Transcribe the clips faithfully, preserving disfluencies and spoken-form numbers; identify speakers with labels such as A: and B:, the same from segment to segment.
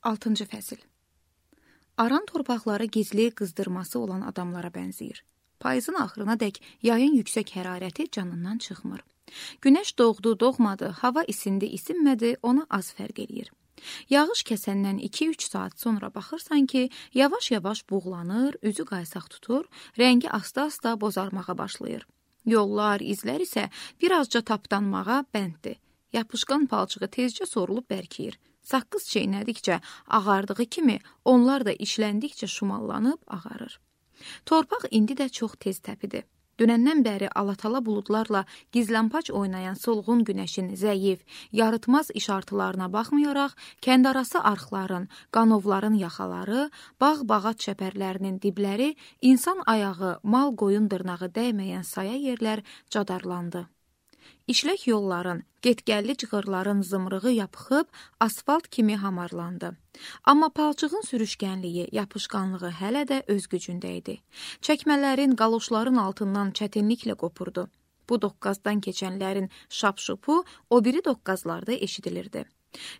A: altıncı fəsil. Aran torpaqları gizli qızdırması olan adamlara bənzəyir. Payızın axırına dək yayın yüksək hərarəti canından çıxmır. Günəş doğdu, doğmadı, hava isindi, isinmədi, ona az fərq eləyir. Yağış kəsəndən iki üç saat sonra baxırsan ki, yavaş-yavaş buğlanır, üzü qaysaq tutur, rəngi asta-asta bozarmağa başlayır. Yollar, izlər isə birazca tapdanmağa bənddir. Yapışqan palçığı tezcə sorulub bərkiyir. Saqqız çeynədikcə ağardığı kimi, onlar da işləndikcə şumallanıb ağarır. Torpaq indi də çox tez təpidir. Dünəndən bəri alatala buludlarla gizlənpac oynayan solğun günəşin zəif, yarıtmaz işartılarına baxmayaraq, kəndarası arxların, qanovların yaxaları, bağ-bağat çəpərlərinin dibləri, insan ayağı, mal qoyun dırnağı dəyməyən saya yerlər cadarlandı. İşlək yolların, getgəlli cığırların zımrığı yapıxıb, asfalt kimi hamarlandı. Amma palçığın sürüşkənliyi, yapışqanlığı hələ də öz gücündə idi. Çəkmələrin, qaloşların altından çətinliklə qopurdu. Bu doqqazdan keçənlərin şapşupu o biri doqqazlarda eşidilirdi.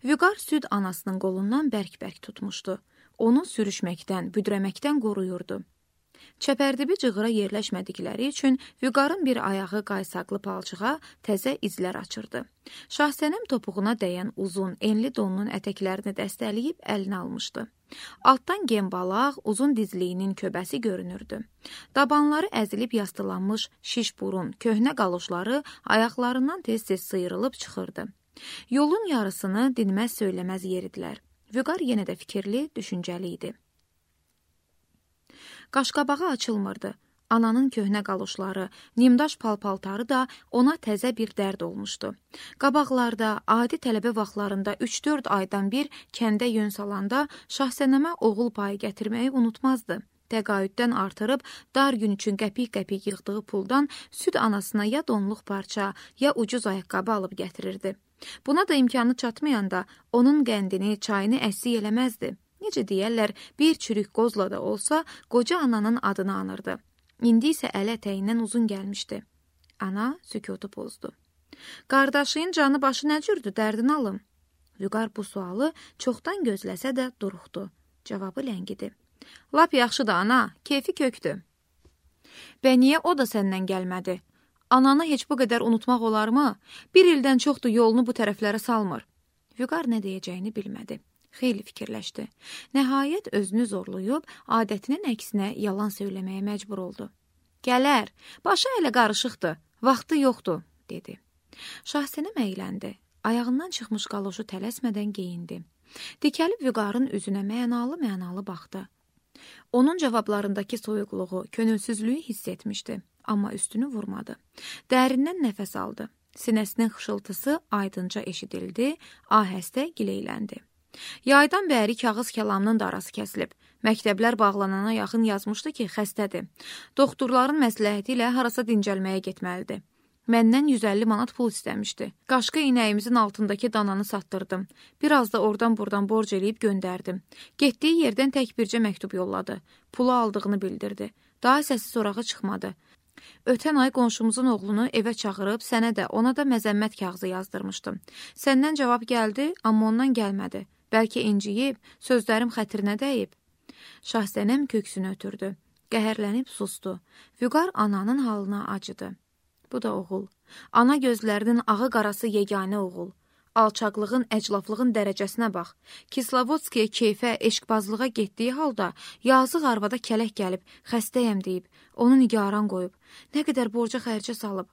A: Vüqar süd anasının qolundan bərk-bərk tutmuşdu. Onu sürüşməkdən, büdrəməkdən qoruyurdu. Çəpərdibi cığıra yerləşmədikləri üçün Vüqarın bir ayağı qaysaqlı palçığa təzə izlər açırdı. Şahsənəm topuğuna dəyən uzun, enli donunun ətəklərini dəstələyib əlinə almışdı. Altdan gembalaq, uzun dizliyinin köbəsi görünürdü. Dabanları əzilib yastılanmış şiş burun, köhnə qaloşları ayaqlarından tez-tez sıyrılıb çıxırdı. Yolun yarısını dinməz söyləməz yeridilər. Vüqar yenə də fikirli, düşüncəli idi. Qaşqabağı açılmırdı. Ananın köhnə qaloşları, nimdaş palpaltarı da ona təzə bir dərd olmuşdu. Qabaqlarda, adi tələbə vaxtlarında üç dörd aydan bir kəndə yön salanda Şahsənəmə oğul payı gətirməyi unutmazdı. Təqaüddən artırıb, dar gün üçün qəpik-qəpik yığdığı puldan süd anasına ya donluq parça, ya ucuz ayaqqabı alıb gətirirdi. Buna da imkanı çatmayanda onun qəndini, çayını əssik eləməzdi. Necə deyərlər, bir çürük qozla da olsa, qoca ananın adını anırdı. İndi isə əl ətəyindən uzun gəlmişdi. Ana sükutu pozdu. Qardaşın canı başı nə cürdü, dərdini alım? Vüqar bu sualı çoxdan gözləsə də duruxdu. Cavabı ləngidi. Lap yaxşıdır ana, keyfi kökdür. Və niyə o da səndən gəlmədi? Ananı heç bu qədər unutmaq olarmı? Bir ildən çoxdur yolunu bu tərəflərə salmır. Vüqar nə deyəcəyini bilmədi. Xeyli fikirləşdi. Nəhayət özünü zorlayıb, adətinin əksinə yalan söyləməyə məcbur oldu. Gələr, başı elə qarışıqdır, vaxtı yoxdur, dedi. Şahsənəm əyləndi. Ayağından çıxmış qaloşu tələsmədən geyindi. Dikəlib Vüqarın üzünə mənalı-mənalı baxdı. Onun cavablarındakı soyuqluğu, könülsüzlüyü hiss etmişdi, amma üstünü vurmadı. Dərindən nəfəs aldı. Sinəsinin xışıltısı aydınca eşidildi, ahəstə gileyləndi. Yaydan bəri kağız kəlamının da arası kəsilib. Məktəblər bağlanana yaxın yazmışdı ki, xəstədir. Doktorların məsləhəti ilə harasa dincəlməyə getməlidir. Məndən yüz əlli manat pul istəmişdi. Qaşqı inəyimizin altındakı dananı satdırdım. Biraz da oradan buradan borc eləyib göndərdim. Getdiyi yerdən tək bircə məktub yolladı. Pulu aldığını bildirdi. Daha səsi sorağı çıxmadı. Ötən ay qonşumuzun oğlunu evə çağırıb sənə də, ona da məzəmmət kağızı yazdırmışdım. Səndən cavab gəldi, amma ondan gəlmədi. Bəlkə inciyib, sözlərim xətrinə dəyib. Şahsənəm köksünü ötürdü. Qəhərlənib sustu. Vüqar ananın halına acıdı. Bu da oğul. Ana gözlərinin ağı qarası yeganə oğul. Alçaqlığın, əclaflığın dərəcəsinə bax. Kislovodskiyə keyfə, eşqbazlığa getdiyi halda yazıq arvada kələk gəlib, xəstəyəm deyib, onu nigaran qoyub. Nə qədər borca xərcə salıb.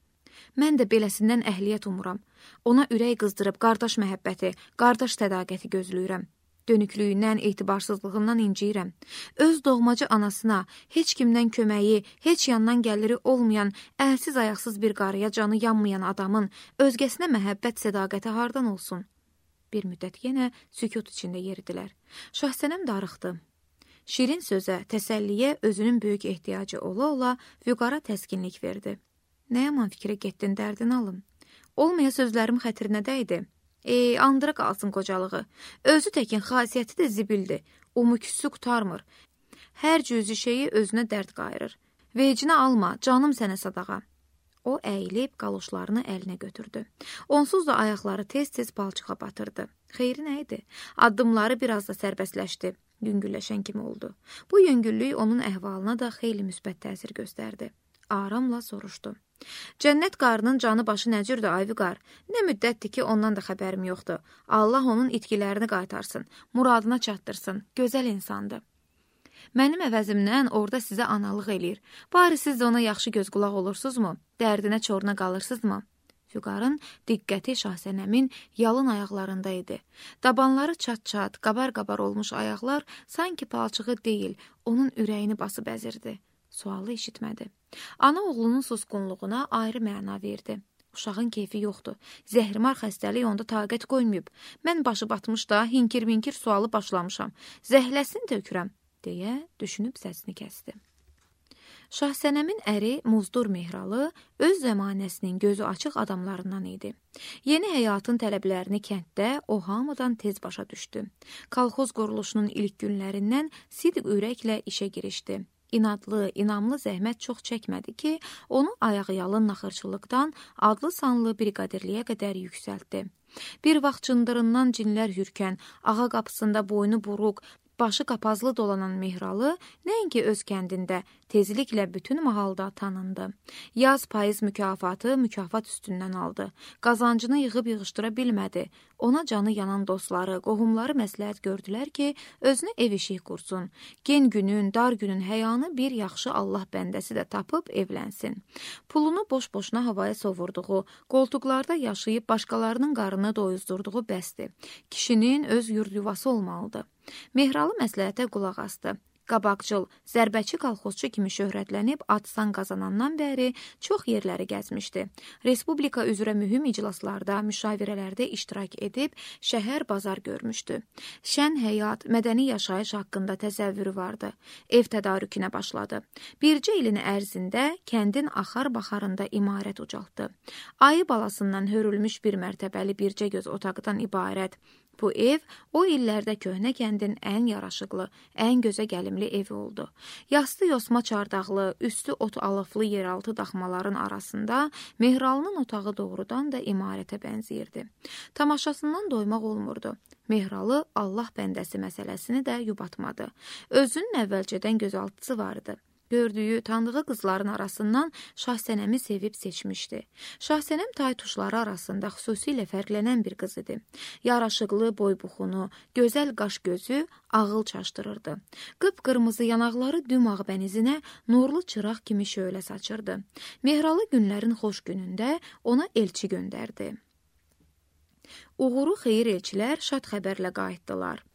A: Mən də beləsindən əhliyyət umuram. Ona ürək qızdırıb qardaş məhəbbəti, qardaş tədaqəti gözləyirəm. Dönüklüyündən, etibarsızlığından inciyirəm. Öz doğmacı anasına, heç kimdən köməyi, heç yandan gəliri olmayan, əlsiz ayaqsız bir qarıya canı yanmayan adamın özgəsinə məhəbbət sədaqəti hardan olsun? Bir müddət yenə sükut içində yeridilər. Şahsənəm darıxdı. Şirin sözə, təsəlliyə özünün böyük ehtiyacı ola-ola Vüqara təskinlik verdi. Nə yaman fikrə getdin, dərdini alım. Olmaya sözlərim xətrinə dəydi. Ey, andıra qalsın qocalığı. Özü təkin xasiyyəti də zibildir. Umuküsü qutarmır. Hər cüzü şeyi özünə dərd qayırır. Vecinə alma, canım sənə sadağa. O əyilib qaloşlarını əlinə götürdü. Onsuz da ayaqları tez-tez palçığa batırdı. Xeyri nə idi? Addımları biraz da sərbəstləşdi. Yüngülləşən kimi oldu. Bu yüngüllük onun əhvalına da xeyli müsbət təsir göstərdi. Aramla soruşdu. Cənnət qarının canı başı nə cürdür, ay vüqar? Nə müddətdir ki, ondan da xəbərim yoxdur. Allah onun itkilərini qaytarsın, muradına çatdırsın, gözəl insandır. Mənim əvəzimdən orada sizə analıq eləyir. Bari siz də ona yaxşı göz qulaq olursunuzmu? Dərdinə çoruna qalırsınızmı? Vüqarın diqqəti Şahsənəmin yalın ayaqlarında idi. Dabanları çat-çat, qabar-qabar olmuş ayaqlar sanki palçığı deyil, onun ürəyini basıb əzirdi. Sualı eşitmədi. Ana oğlunun susqunluğuna ayrı məna verdi. Uşağın keyfi yoxdur. Zəhrimar xəstəlik onda taqət qoymayıb. Mən başı batmış da hinkir-minkir sualı başlamışam. Zəhləsini tökürəm, deyə düşünüb səsini kəsdi. Şahsənəmin əri Muzdur Mehralı öz zəmanəsinin gözü açıq adamlarından idi. Yeni həyatın tələblərini kənddə o hamıdan tez başa düşdü. Kolxoz quruluşunun ilk günlərindən sidq ürəklə işə girişdi. İnadlı, inamlı zəhmət çox çəkmədi ki, onu ayaqyalın naxırçılıqdan adlı sanlı briqadirliyə qədər yüksəltdi. Bir vaxt cındırından cinlər hürkən, ağa qapısında boynu buruq, başı qapazlı dolanan Mehralı nəinki öz kəndində tezliklə bütün mahalda tanındı. Yaz payız mükafatı mükafat üstündən aldı. Qazancını yığıb yığışdıra bilmədi. Ona canı yanan dostları, qohumları məsləhət gördülər ki, özünü ev işi qursun. Gen günün, dar günün həyanı bir yaxşı Allah bəndəsi də tapıb evlənsin. Pulunu boş-boşuna havaya sovurduğu, qoltuqlarda yaşayıb başqalarının qarnını doyuzdurduğu bəsdir. Kişinin öz yurd yuvası olmalıdır. Mehralı məsləhətə qulaq asdı. Qabaqcıl, zərbəçi kolxozçu kimi şöhrətlənib ad-san qazanandan bəri çox yerləri gəzmişdi. Respublika üzrə mühüm iclaslarda, müşavirələrdə iştirak edib şəhər bazar görmüşdü. Şən həyat, mədəni yaşayış haqqında təsəvvürü vardı. Ev tədarükünə başladı. Bircə ilin ərzində kəndin axar-baxarında imarət ucaltdı. Ayı balasından hörülmüş bir mərtəbəli bircə göz otaqdan ibarət. Bu ev o illərdə köhnə kəndin ən yaraşıqlı, ən gözə gəlimli evi oldu. Yastı yosma çardaqlı, üstü ot alıflı yeraltı daxmaların arasında Mehralının otağı doğrudan da imarətə bənzəyirdi. Tamaşasından doymaq olmurdu. Mehralı Allah bəndəsi məsələsini də yubatmadı. Özünün əvvəlcədən gözaltısı vardı. Gördüyü, tanıdığı qızların arasından Şahsənəmi sevib seçmişdi. Şahsənəm taytuşları arasında xüsusilə fərqlənən bir qız idi. Yaraşıqlı boybuxunu, gözəl qaş gözü ağıl çaşdırırdı. Qıpqırmızı yanaqları dümağ bənizinə nurlu çıraq kimi şölə saçırdı. Mehralı günlərin xoş günündə ona elçi göndərdi. Uğuru xeyir elçilər şad xəbərlə qayıtdılar.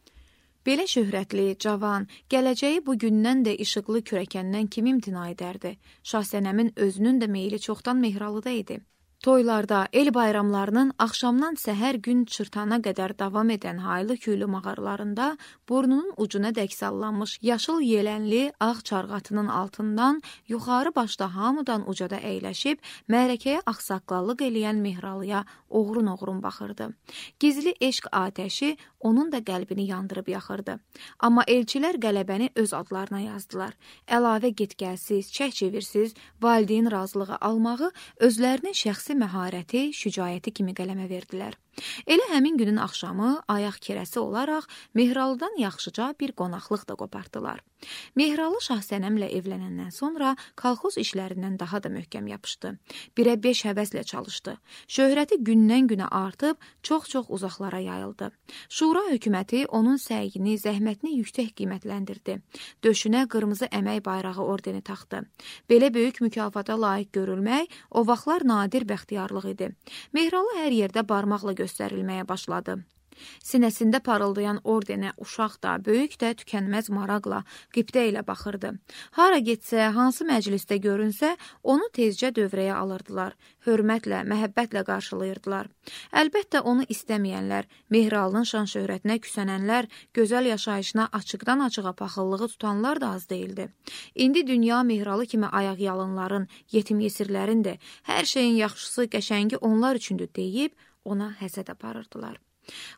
A: Belə şöhrətli, cavan, gələcəyi bu gündən də işıqlı kürəkəndən kim imtina edərdi? Şahsənəmin özünün də meyli çoxdan Mehralıda idi. Toylarda, el bayramlarının axşamdan səhər gün çırtana qədər davam edən haylı-küylü mağaralarında burnunun ucuna dək sallanmış yaşıl yelənli ağ çarğatının altından yuxarı başda hamıdan ucada əyləşib mərəkəyə axsaqqallıq eləyən Mehralıya oğrun-oğrun baxırdı. Gizli eşq atəşi onun da qəlbini yandırıb yaxırdı. Amma elçilər qələbəni öz adlarına yazdılar. Əlavə get-gəlsiz, çək-çevirsiz, valideyn razılığı almağı özlərinin şəxsi məharəti, şücaəti kimi qələmə verdilər. Elə həmin günün axşamı ayaq kirəsi olaraq Mehralıdan yaxşıca bir qonaqlıq da qopartdılar. Mehralı Şahsənəmlə evlənəndən sonra kolxoz işlərindən daha da möhkəm yapışdı. Birə beş həvəslə çalışdı. Şöhrəti gündən-günə artıb çox-çox uzaqlara yayıldı. Şura hökuməti onun səyini, zəhmətini yüksək qiymətləndirdi. Döşünə qırmızı əmək bayrağı ordeni taxdı. Belə böyük mükafata layiq görülmək o vaxtlar nadir bəxtiyarlıq idi. Mehralı hər yerdə barmaqla göstərilməyə başladı. Sinəsində parıldayan ordenə uşaq da, böyük də tükənməz maraqla, qibdə ilə baxırdı. Hara getsə, hansı məclisdə görünsə, onu tezcə dövrəyə alırdılar. Hörmətlə, məhəbbətlə qarşılayırdılar. Əlbəttə onu istəməyənlər, Mehralının şan şöhrətinə küsənənlər, gözəl yaşayışına açıqdan-açığa paxıllığı tutanlar da az deyildi. İndi dünya Mehralı kimi ayaq-yalınların, yetim-yesirlərindir, hər şeyin yaxşısı, qəşəngi onlar üçündür deyib, ona həsəd aparırdılar.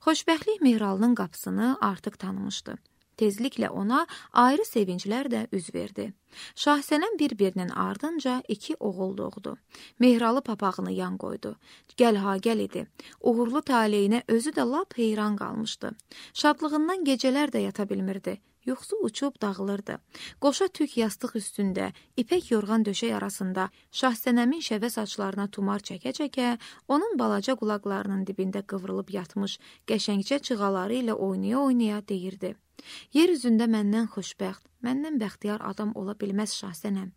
A: Xoşbəxtlik Mehralının qapısını artıq tanımışdı. Tezliklə ona ayrı sevinclər də üz verdi. Şahsənəm bir-birinin ardınca iki oğul doğdu. Mehralı papağını yan qoydu. Gəl ha gəl idi. Uğurlu taleyinə özü də lap heyran qalmışdı. Şadlığından gecələr də yata bilmirdi. Yuxusu uçub dağılırdı. Qoşa tük yastıq üstündə, ipək yorğan döşək arasında Şahsənəmin şəvə saçlarına tumar çəkə-çəkə, onun balaca qulaqlarının dibində qıvrılıb yatmış qəşəngcə çığaları ilə oynaya-oynaya deyirdi. Yer üzündə məndən xoşbəxt, məndən bəxtiyar adam ola bilməz Şahsənəm.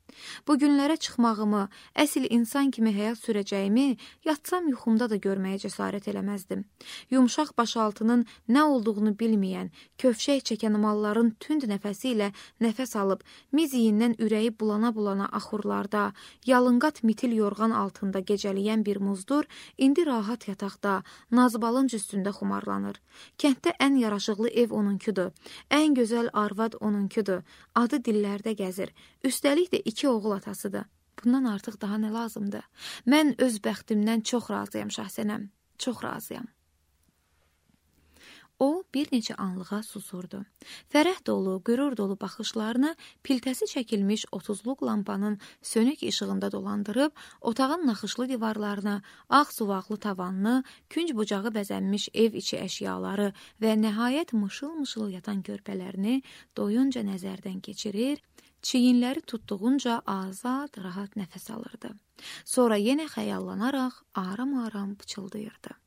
A: Bu günlərə çıxmağımı, əsl insan kimi həyat sürəcəyimi yatsam yuxumda da görməyə cəsarət eləməzdim. Yumşaq başaltının nə olduğunu bilməyən, kövşək çəkən malların tünd nəfəsi ilə nəfəs alıb, miziyindən ürəyi bulana-bulana axurlarda, yalınqat mitil yorğan altında gecəliyən bir muzdur, indi rahat yataqda, nazbalınc üstündə xumarlanır. Kənddə ən yaraşıqlı ev onunkudur. Ən gözəl arvad onunkudur. Adı dillərdə gəzir. Üstəlik də iki oğul atasıdır. Bundan artıq daha nə lazımdır? Mən öz bəxtimdən çox razıyam Şahsənəm. Çox razıyam. O, bir neçə anlığa susurdu. Fərəh dolu, qürur dolu baxışlarını piltəsi çəkilmiş otuzluq lampanın sönük işığında dolandırıb, otağın naxışlı divarlarını, ağ suvaqlı tavanını, künc bucağı bəzənmiş ev içi əşyaları və nəhayət mışıl-mışıl yatan körpələrini doyunca nəzərdən keçirir, çiyinləri tutduğunca azad, rahat nəfəs alırdı. Sonra yenə xəyallanaraq aram-aram pıçıldayırdı.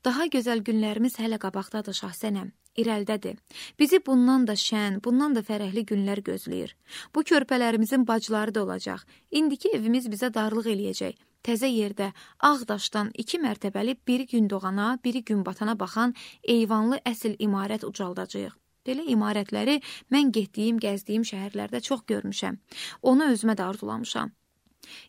A: Daha gözəl günlərimiz hələ qabaqdadır Şahsənəm, irəldədir. Bizi bundan da şən, bundan da fərəhli günlər gözləyir. Bu körpələrimizin bacıları da olacaq. İndiki evimiz bizə darlıq eləyəcək. Təzə yerdə, ağ daşdan iki mərtəbəli biri gün doğana, biri gün batana baxan eyvanlı əsl imarət ucaldacağıq. Belə imarətləri mən getdiyim, gəzdiyim şəhərlərdə çox görmüşəm. Onu özümə də arzulamışam.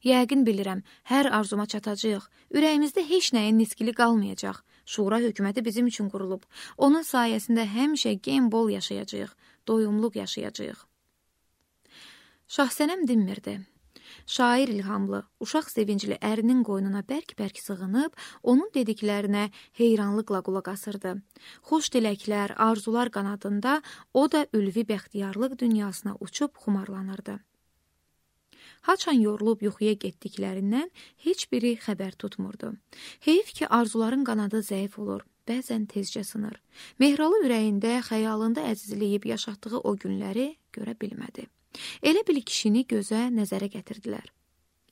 A: Yəqin bilirəm, hər arzuma çatacaq. Ürəyimizdə heç nəyin niskili qalmayacaq. Şura hökuməti bizim üçün qurulub. Onun sayəsində həmişə gen bol yaşayacaq, doyumluq yaşayacaq. Şahsənəm dinmirdi. Şair ilhamlı, uşaq sevincli ərinin qoynuna bərk-bərk sığınıb, onun dediklərinə heyranlıqla qulaq asırdı. Xoş diləklər, arzular qanadında o da ülvi bəxtiyarlıq dünyasına uçub xumarlanırdı. Haçan yorulub yuxuya getdiklərindən heç biri xəbər tutmurdu. Heyif ki, arzuların qanadı zəif olur, bəzən tezcə sınır. Mehralı ürəyində, xəyalında əzizləyib yaşatdığı o günləri görə bilmədi. Elə bil kişini gözə nəzərə gətirdilər.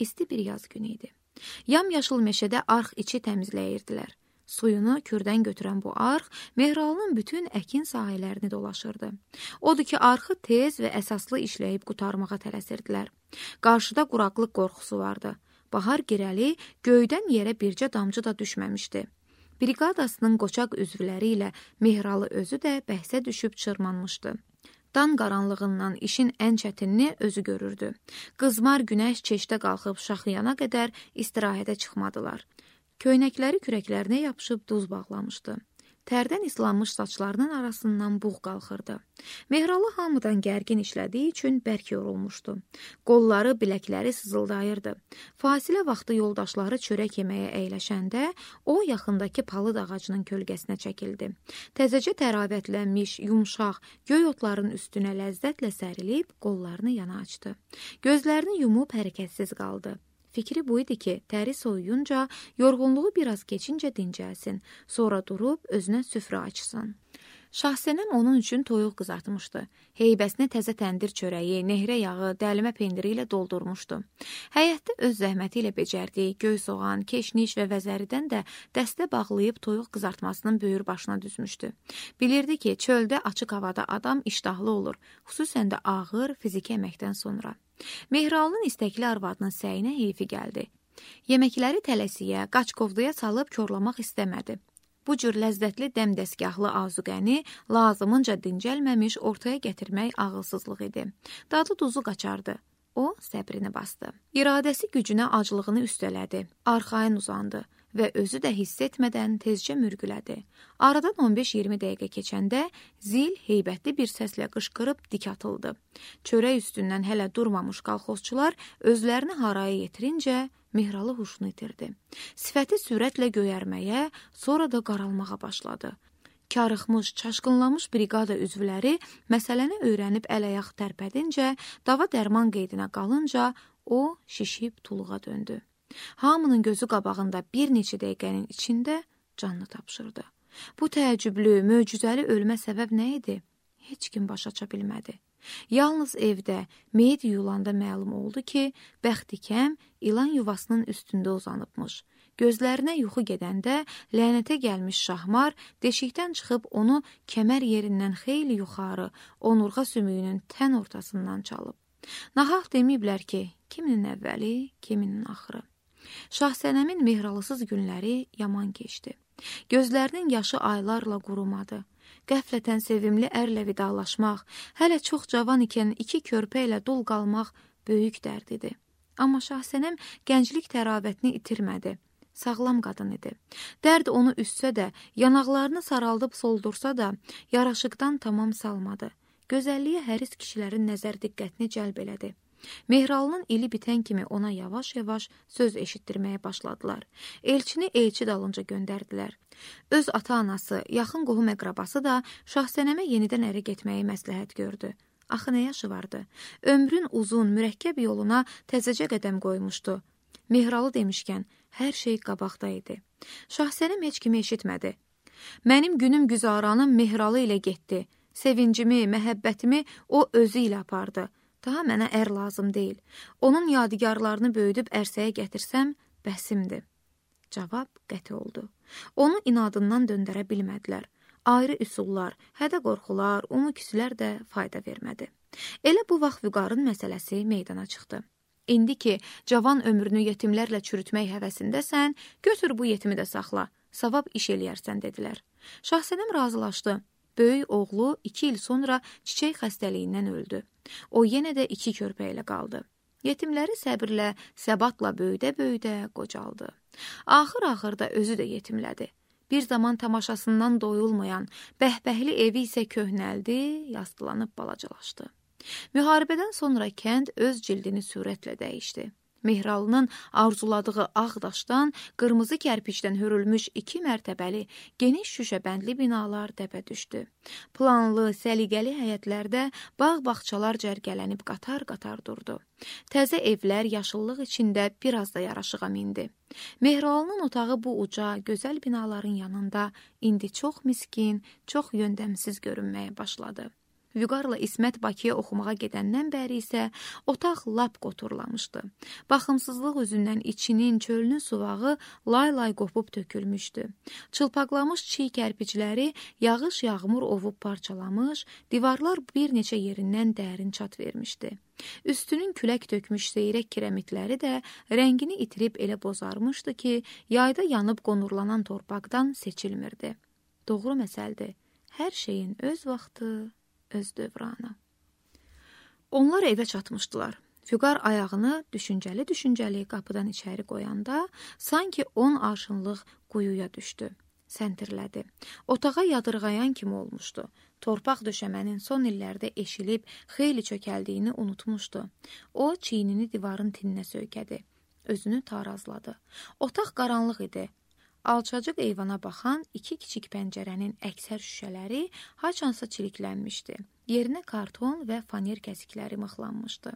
A: İsti bir yaz günü idi. Yam-yaşıl meşədə arx içi təmizləyirdilər. Suyunu kürdən götürən bu arx Mehralının bütün əkin sahələrini dolaşırdı. Odur ki, arxı tez və əsaslı işləyib qutarmağa tələsirdilər. Qarşıda quraqlıq qorxusu vardı. Bahar girəli göydən yerə bircə damcı da düşməmişdi. Briqadasının qoçaq üzvləri ilə Mehralı özü də bəhsə düşüb çırmanmışdı. Dan qaranlığından işin ən çətinini özü görürdü. Qızmar günəş çeşdə qalxıb şaxıyana qədər istirahətə çıxmadılar. Köynəkləri kürəklərinə yapışıb duz bağlamışdı. Tərdən islanmış saçlarının arasından buğ qalxırdı. Mehralı hamıdan gərgin işlədiyi üçün bərk yorulmuşdu. Qolları, biləkləri sızıldayırdı. Fasilə vaxtı yoldaşları çörək yeməyə əyləşəndə o yaxındakı palıd ağacının kölgəsinə çəkildi. Təzəcə təravətlənmiş, yumşaq, göy otların üstünə ləzzətlə sərilib qollarını yana açdı. Gözlərini yumub hərəkətsiz qaldı. Fikri bu idi ki, təri soyuyunca, yorğunluğu biraz keçincə dincəlsin, sonra durub özünə süfrə açsın. Şahsənəm onun üçün toyuq qızartmışdı. Heybəsini təzə təndir çörəyi, nehrə yağı, dəlimə pendiri ilə doldurmuşdu. Həyətdə öz zəhməti ilə becərdiyi göy soğan, keşniş və vəzəridən də dəstə bağlayıb toyuq qızartmasının böyür başına düzmüşdü. Bilirdi ki, çöldə açıq havada adam iştahlı olur, xüsusən də ağır fiziki əməkdən sonra. Mehralının istəkli arvadının səyinə heyfi gəldi. Yeməkləri tələsiyə, qaçqovduya salıb korlamaq istəmədi. Bu cür ləzzətli dəmdəsgahlı azuqəni lazımınca dincəlməmiş ortaya gətirmək ağılsızlıq idi. Dadı duzu qaçardı. O, səbrini bastı. İradəsi gücünə aclığını üstələdi. Arxayın uzandı və özü də hiss etmədən tezcə mürgülədi. Aradan on beş iyirmi dəqiqə keçəndə zil heybətli bir səslə qışqırıb dik atıldı. Çörək üstündən hələ durmamış qalxozçular özlərini haraya yetirincə Mehralı huşunu itirdi. Sifəti sürətlə göyərməyə, sonra da qaralmağa başladı. Karıxmış, çaşqınlamış briqada üzvləri məsələni öyrənib əl-ayaq tərpədincə, dava dərman qeydinə qalınca o şişib tuluğa döndü. Hamının gözü qabağında bir neçə dəqiqənin içində canını tapşırdı. Bu təəccüblü, möcüzəli ölmə səbəb nə idi? Heç kim başa aça bilmədi. Yalnız evdə, meyit yuyulanda məlum oldu ki, bəxtikəm ilan yuvasının üstündə uzanıbmış. Gözlərinə yuxu gedəndə lənətə gəlmiş şahmar deşikdən çıxıb onu kəmər yerindən xeyli yuxarı, onurğa sümüyünün tən ortasından çalıb. Nahaq deməyiblər ki, kiminin əvvəli, kiminin axırı. Şahsənəmin mehralısız günləri yaman keçdi. Gözlərinin yaşı aylarla qurumadı. Qəflətən sevimli ərlə vidalaşmaq, hələ çox cavan ikən iki körpə ilə dul qalmaq böyük dərd idi. Amma Şahsənəm gənclik təravətini itirmədi. Sağlam qadın idi. Dərd onu üstsə də, yanaqlarını saraldıb soldursa da, yaraşıqdan tamam salmadı. Gözəlliyə həris kişilərin nəzər diqqətini cəlb elədi. Mehralının ili bitən kimi ona yavaş-yavaş söz eşitdirməyə başladılar. Elçini elçi dalınca göndərdilər. Öz ata-anası, yaxın qohum əqrabası da Şahsənəmə yenidən ərə getməyi məsləhət gördü. Axı nə yaşı vardı? Ömrün uzun, mürəkkəb yoluna təzəcə qədəm qoymuşdu. Mehralı demişkən, hər şey qabaqda idi. Şahsənəm heç kimi eşitmədi. Mənim günüm güzaranım Mehralı ilə getdi. Sevincimi, məhəbbətimi o özü ilə apardı. Daha mənə ər lazım deyil. Onun yadigarlarını böyüdüb ərsəyə gətirsəm, bəsimdir. Cavab qəti oldu. Onu inadından döndərə bilmədilər. Ayrı üsullar, hədə qorxular, umuküsülər də fayda vermədi. Elə bu vaxt Vüqarın məsələsi meydana çıxdı. İndi ki, cavan ömrünü yetimlərlə çürütmək həvəsindəsən, götür bu yetimi də saxla, savab iş eləyərsən, dedilər. Şahsənəm razılaşdı. Böyük oğlu iki il sonra çiçək xəstəliyindən öldü. O yenə də iki körpə ilə qaldı. Yetimləri səbirlə, səbatla böyüdə-böyüdə qocaldı. Axır-axırda özü də yetimlədi. Bir zaman tamaşasından doyulmayan, bəhbəhli evi isə köhnəldi, yastılanıb balacalaşdı. Müharibədən sonra kənd öz cildini sürətlə dəyişdi. Mehralının arzuladığı ağ daşdan, qırmızı kərpicdən hörülmüş iki mərtəbəli, geniş şüşəbəndli binalar dəbə düşdü. Planlı, səliqəli həyətlərdə bağ-bağçalar cərgələnib qatar-qatar durdu. Təzə evlər yaşıllıq içində biraz da yaraşığa mindi. Mehralının otağı bu uca, gözəl binaların yanında indi çox miskin, çox yöndəmsiz görünməyə başladı. Vüqarla İsmət Bakıya oxumağa gedəndən bəri isə otaq lap qoturlamışdı. Baxımsızlıq üzündən içinin, çölünün suvağı lay-lay qopub tökülmüşdü. Çılpaqlamış çiy kərpicləri yağış yağmur ovub parçalamış, divarlar bir neçə yerindən dərin çat vermişdi. Üstünün külək tökmüş seyrək kirəmitləri də rəngini itirib elə bozarmışdı ki, yayda yanıb qonurlanan torpaqdan seçilmirdi. Doğru məsəldir, hər şeyin öz vaxtı, öz dövranı. Onlar evə çatmışdılar. Vüqar ayağını düşüncəli-düşüncəli qapıdan içəri qoyanda, sanki on arşınlıq quyuya düşdü. Səntirlədi. Otağa yadırğayan kimi olmuşdu. Torpaq döşəmənin son illərdə eşilib, xeyli çökəldiyini unutmuşdu. O, çiynini divarın tininə söykədi. Özünü tarazladı. Otaq qaranlıq idi. Alçacıq eyvana baxan iki kiçik pəncərənin əksər şüşələri haçansa çiliklənmişdi. Yerinə karton və faner kəsikləri mıxlanmışdı.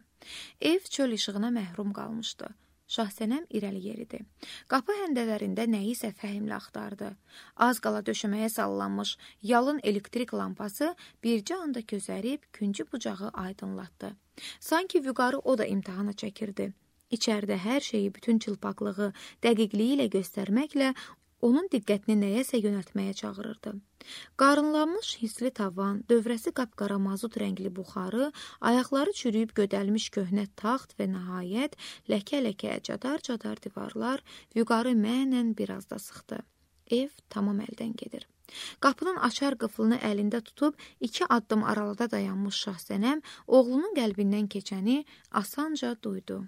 A: Ev çöl işığına məhrum qalmışdı. Şahsənəm irəli yeridi. Qapı həndələrində nəyisə fəhimlə axtardı. Az qala döşəməyə sallanmış yalın elektrik lampası bircə anda közərib küncü bucağı aydınlatdı. Sanki Vüqarı o da imtahana çəkirdi. İçəridə hər şeyi bütün çılpaqlığı, dəqiqliyi ilə göstərməklə onun diqqətini nəyəsə yönəltməyə çağırırdı. Qarınlanmış hisli tavan, dövrəsi qapqara mazut rəngli buxarı, ayaqları çürüyüb gödəlmiş köhnə taxt və nəhayət ləkə-ləkə cadar-cadar divarlar Vüqarı mənən biraz da sıxdı. Ev tamam əldən gedir. Qapının açar qıflını əlində tutub iki addım aralada dayanmış Şahsənəm oğlunun qəlbindən keçəni asanca duydu.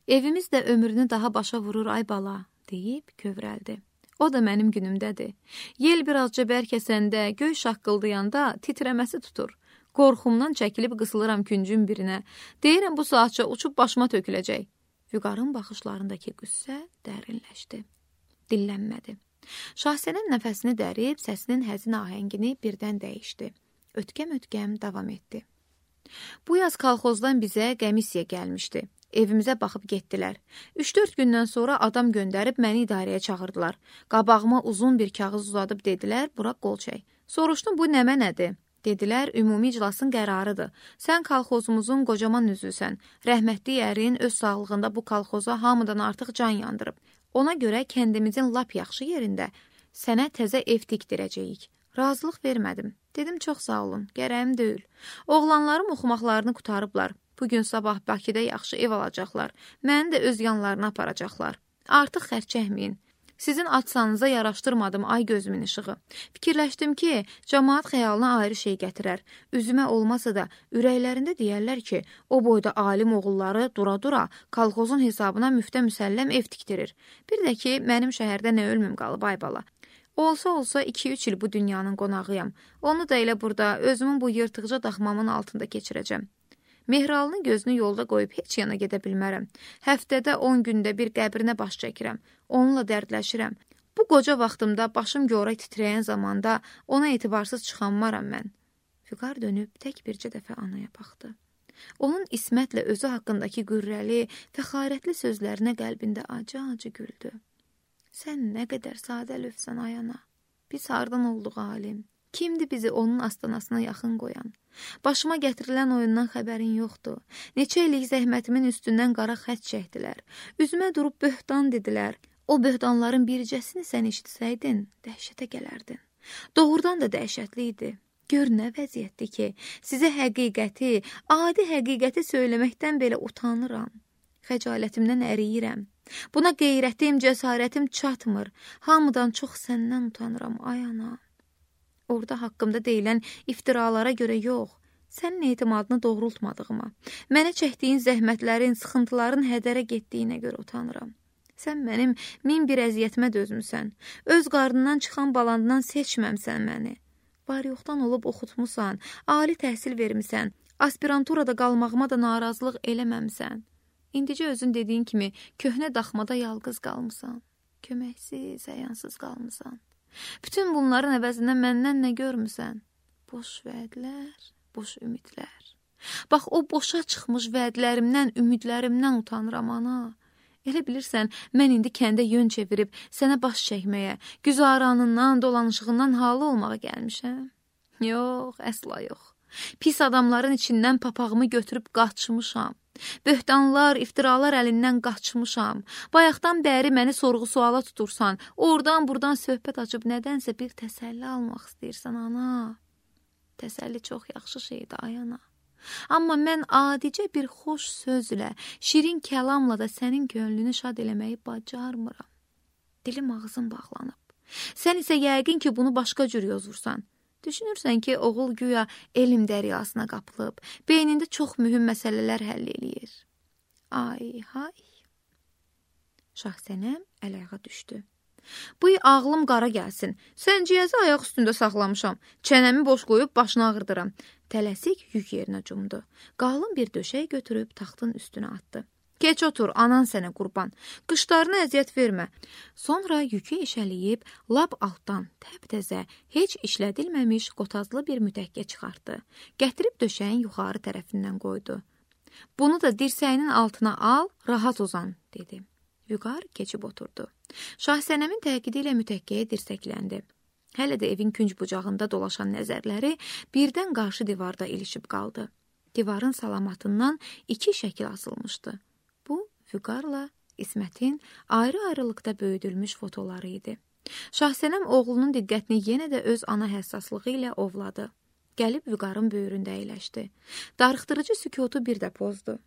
A: Evimiz də ömrünü daha başa vurur ay bala, deyib kövrəldi. O da mənim günümdədir. Yel birazca bərkəsəndə, göy şaqqıldayanda titrəməsi tutur. Qorxumdan çəkilib qısılıram küncün birinə. Deyirəm bu saatca uçub başıma töküləcək. Vüqarın baxışlarındakı qüssə dərinləşdi. Dillənmədi. Şahsənəm nəfəsini dərib, səsinin həzin ahəngini birdən dəyişdi. Ötkəm-ötkəm davam etdi. Bu yaz kolxozdan bizə qəmisiya gəlmişdi. Evimizə baxıb getdilər. üç-dörd gündən sonra adam göndərib məni idarəyə çağırdılar. Qabağıma uzun bir kağız uzadıb dedilər, bura qol çək. Soruşdum, bu nəmə nədir? Dedilər, ümumi iclasın qərarıdır. Sən kolxozumuzun qocaman üzvüsən. Rəhmətli ərin öz sağlığında bu kolxoza hamıdan artıq can yandırıb. Ona görə kəndimizin lap yaxşı yerində sənə təzə ev tikdirəcəyik. Razılıq vermədim. Dedim, çox sağ olun, gərəyim deyil. Oğlanlarım oxumaqlarını qutarıblar. Bugün sabah Bakıda yaxşı ev alacaqlar. Məni də öz yanlarına aparacaqlar. Artıq xərc çəkməyin. Sizin atsanıza yaraşdırmadım ay gözümün işığı. Fikirləşdim ki, cəmaat xəyalına ayrı şey gətirər. Üzümə olmasa da ürəklərində deyərlər ki, o boyda alim oğulları dura-dura kolxozun hesabına müftə müsəlləm ev tikdirir. Bir də ki, mənim şəhərdə nə ölmüm qalıb ay bala. Olsa-olsa iki-üç il bu dünyanın qonağıyam. Onu da elə burada özümün bu yırtıqca daxmamın altında keçirəcəm. Mehralının gözünü yolda qoyub heç yana gedə bilmərəm. Həftədə on gündə bir qəbrinə baş çəkirəm. Onunla dərdləşirəm. Bu qoca vaxtımda başım yoray titrəyən zamanda ona etibarsız çıxanmaram mən. Vüqar dönüb tək bircə dəfə anaya baxdı. Onun İsmətlə özü haqqındakı qürrəli, fəxarətli sözlərinə qəlbində acı-acı güldü. Sən nə qədər sadə lövsən ay ana. Biz hardan olduq alim? Kimdir bizi onun astanasına yaxın qoyan? Başıma gətirilən oyundan xəbərin yoxdur. Neçə illik zəhmətimin üstündən qara xət çəkdilər. Üzümə durub böhtan dedilər. O böhtanların bircəsini sən eşitsəydin, dəhşətə gələrdin. Doğrudan da dəhşətli idi. Gör nə vəziyyətdir ki, sizə həqiqəti, adi həqiqəti söyləməkdən belə utanıram. Xəcalətimdən əriyirəm. Buna qeyrətim, cəsarətim çatmır. Hamıdan çox səndən utanıram, ay ana. Orada haqqımda deyilən iftiralara görə yox, sənin etimadını doğrultmadığıma, mənə çəkdiyin zəhmətlərin, sıxıntıların hədərə getdiyinə görə utanıram. Sən mənim min bir əziyyətimə dözmüsən, öz qarnından çıxan balandan seçməmsən məni. Var yoxdan olub oxutmusan, ali təhsil vermisən, aspiranturada qalmağıma da narazılıq eləməmsən. İndicə özün dediyin kimi köhnə daxmada yalqız qalmısan, köməksiz, əyansız qalmısan. Bütün bunların əvəzində məndən nə görmüsən? Boş vədlər, boş ümidlər. Bax, o boşa çıxmış vədlərimdən, ümidlərimdən utanıram, ana. Elə bilirsən, mən indi kəndə yön çevirib, sənə baş çəkməyə, güzaranından, dolanışığından halı olmağa gəlmişəm. Yox, əsla yox. Pis adamların içindən papağımı götürüb qaçmışam. Böhtanlar, iftiralar əlindən qaçmışam. Bayaqdan bəri məni sorğu-suala tutursan, oradan-buradan söhbət açıb nədənsə bir təsəlli almaq istəyirsən, ana. Təsəlli çox yaxşı şeydir, ay ana. Amma mən adicə bir xoş sözlə, şirin kəlamla da sənin könlünü şad eləməyi bacarmıram. Dilim ağzım bağlanıb. Sən isə yəqin ki, bunu başqa cür yozursan. Düşünürsən ki, oğul güya elm dəryasına qapılıb, beynində çox mühüm məsələlər həll eləyir. Ay, hay. Şahsənəm əl-ayağa düşdü. Bu ağlım qara gəlsin. Sənciyəzi ayaq üstündə saxlamışam. Çənəmi boş qoyub başını ağırdıram. Tələsik yük yerinə cumdu. Qalın bir döşək götürüb taxtın üstünə atdı. Keç otur, anan sənə qurban. Qışlarına əziyyət vermə. Sonra yükü eşəliyib, lap altdan təp-təzə, heç işlədilməmiş qotazlı bir mütəkkə çıxartdı. Gətirib döşəyin yuxarı tərəfindən qoydu. Bunu da dirsəyinin altına al, rahat uzan, dedi. Vüqar keçib oturdu. Şahsənəmin təkidi ilə mütəkkəyə dirsəkləndi. Hələ də evin künc bucağında dolaşan nəzərləri birdən qarşı divarda ilişib qaldı. Divarın salamatından iki şəkil asılmışdı. Bu, Vüqarla İsmətin ayrı-ayrılıqda böyüdülmüş fotoları idi. Şahsənəm oğlunun diqqətini yenə də öz ana həssaslığı ilə ovladı. Gəlib Vüqarın böyründə əyləşdi. Darıxdırıcı sükutu bir də pozdu.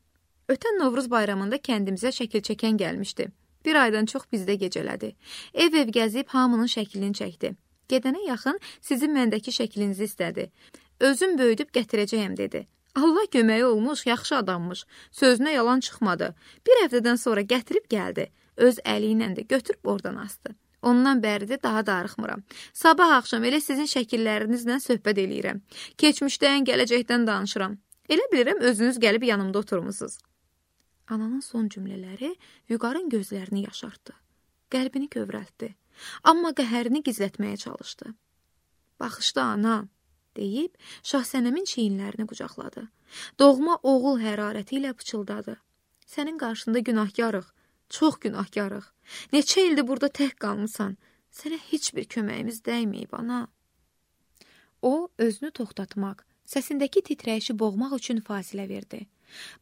A: Ötən Novruz bayramında kəndimizə şəkil çəkən gəlmişdi. Bir aydan çox bizdə gecələdi. Ev-ev gəzib hamının şəklini çəkdi. Gedənə yaxın sizin məndəki şəklinizi istədi. Özüm böyüdüb gətirəcəyəm, dedi. Allah köməyi olmuş, yaxşı adammış. Sözünə yalan çıxmadı. Bir həftədən sonra gətirib gəldi. Öz əli ilə də götürüb oradan asdı. Ondan bəridir daha darıxmıram. Sabah axşam elə sizin şəkillərinizlə söhbət eləyirəm. Keçmişdən, gələcəkdən danışıram. Elə bilirəm özünüz gəlib yanımda oturmusunuz. Ananın son cümlələri Vüqarın gözlərini yaşartdı. Qəlbini kövrəltdi. Amma qəhərini gizlətməyə çalışdı. Baxışda ana, deyib Şahsənəmin çiyinlərini qucaqladı. Doğma oğul hərarəti ilə pıçıldadı. Sənin qarşında günahkarıq, çox günahkarıq. Neçə ildir burada tək qalmısan, sənə heç bir köməyimiz dəyməyib, ana. O, özünü toxtatmaq, səsindəki titrəyişi boğmaq üçün fasilə verdi.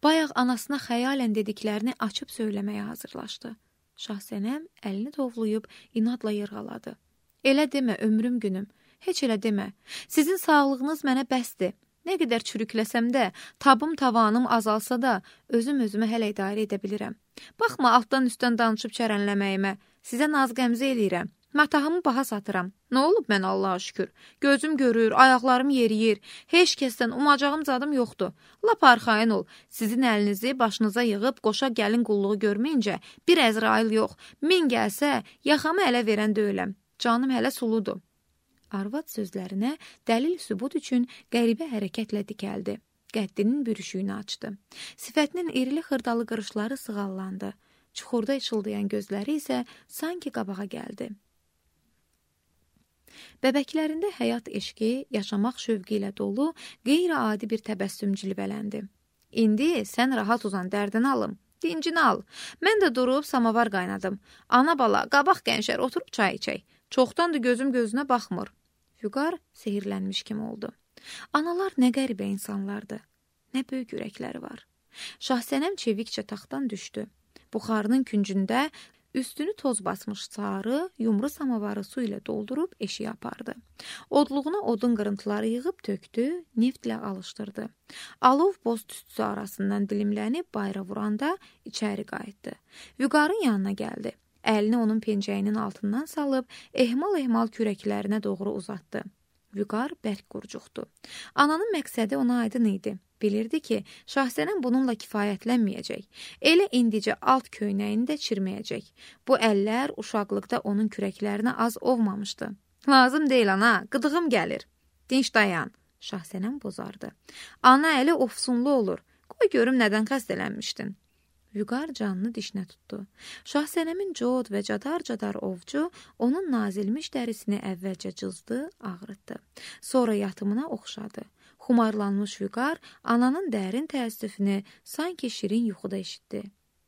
A: Bayaq anasına xəyalən dediklərini açıb söyləməyə hazırlaşdı. Şahsənəm əlini tovlayıb inadla yırğaladı. Elə demə, ömrüm günüm, heç elə demə. Sizin sağlığınız mənə bəsdir. Nə qədər çürükləsəm də, tabım tavanım azalsa da, özüm özümə hələ idarə edə bilirəm. Baxma altdan üstdən danışıb çərənləməyimə, sizə naz qəmzə eləyirəm. Matahımı baha satıram. Nə olub mən Allaha şükür? Gözüm görür, ayaqlarım yeriyir. Heç kəsdən umacağım zadım yoxdur. Lap arxayın ol. Sizin əlinizi başınıza yığıb qoşa gəlin qulluğu görməyincə bir Əzrail yox. Min gəlsə, yaxamı ələ verən deyiləm. Canım hələ suludur. Arvad sözlərinə dəlil sübut üçün qəribə hərəkətlə dikəldi. Qəddinin bürüşüyünü açdı. Sifətinin irili xırdalı qırışları sığallandı. Çuxurda işıldayan gözləri isə sanki qabağa gəldi. Bəbəklərində həyat eşqi, yaşamaq şövqü ilə dolu, qeyri-adi bir təbəssüm cilvələndi. İndi sən rahat uzan, dərdini alım, dincini al. Mən də durub samavar qaynadım. Ana bala, qabaq gənclər, oturub çay içək. Çoxdandır gözüm gözünə baxmır. Vüqar sehirlənmiş kimi oldu. Analar nə qəribə insanlardır, nə böyük ürəkləri var. Şahsənəm çevikcə taxtdan düşdü. Buxarının küncündə üstünü toz basmış sarı, yumru samavarı su ilə doldurub eşiyə apardı. Odluğuna odun qırıntıları yığıb tökdü, neftlə alışdırdı. Alov boz tüstüsü arasından dilimlənib bayra vuranda içəri qayıtdı. Vüqarın yanına gəldi. Əlini onun pencəyinin altından salıb, ehmal-ehmal kürəklərinə doğru uzatdı. Vüqar bərk qurcuqdu. Ananın məqsədi ona aydın idi. Bilirdi ki, Şahsənəm bununla kifayətlənməyəcək. Elə indicə alt köynəyini də çirməyəcək. Bu əllər uşaqlıqda onun kürəklərinə az ovmamışdı. Lazım deyil ana, qıdığım gəlir. Dinç dayan, Şahsənəm bozardı. Ana əli ofsunlu olur. Qoy görüm nədən xəstələnmişdin. Vüqar canını dişinə tutdu. Şahsənəmin cod və cadar-cadar ovcu onun nazilmiş dərisini əvvəlcə cızdı, ağrıtdı. Sonra yatımına oxşadı. Xumarlanmış Vüqar ananın dərin təəssüfünü sanki şirin yuxuda eşitdi.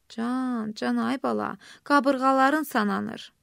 A: Can, can ay bala, qabırğaların sananır.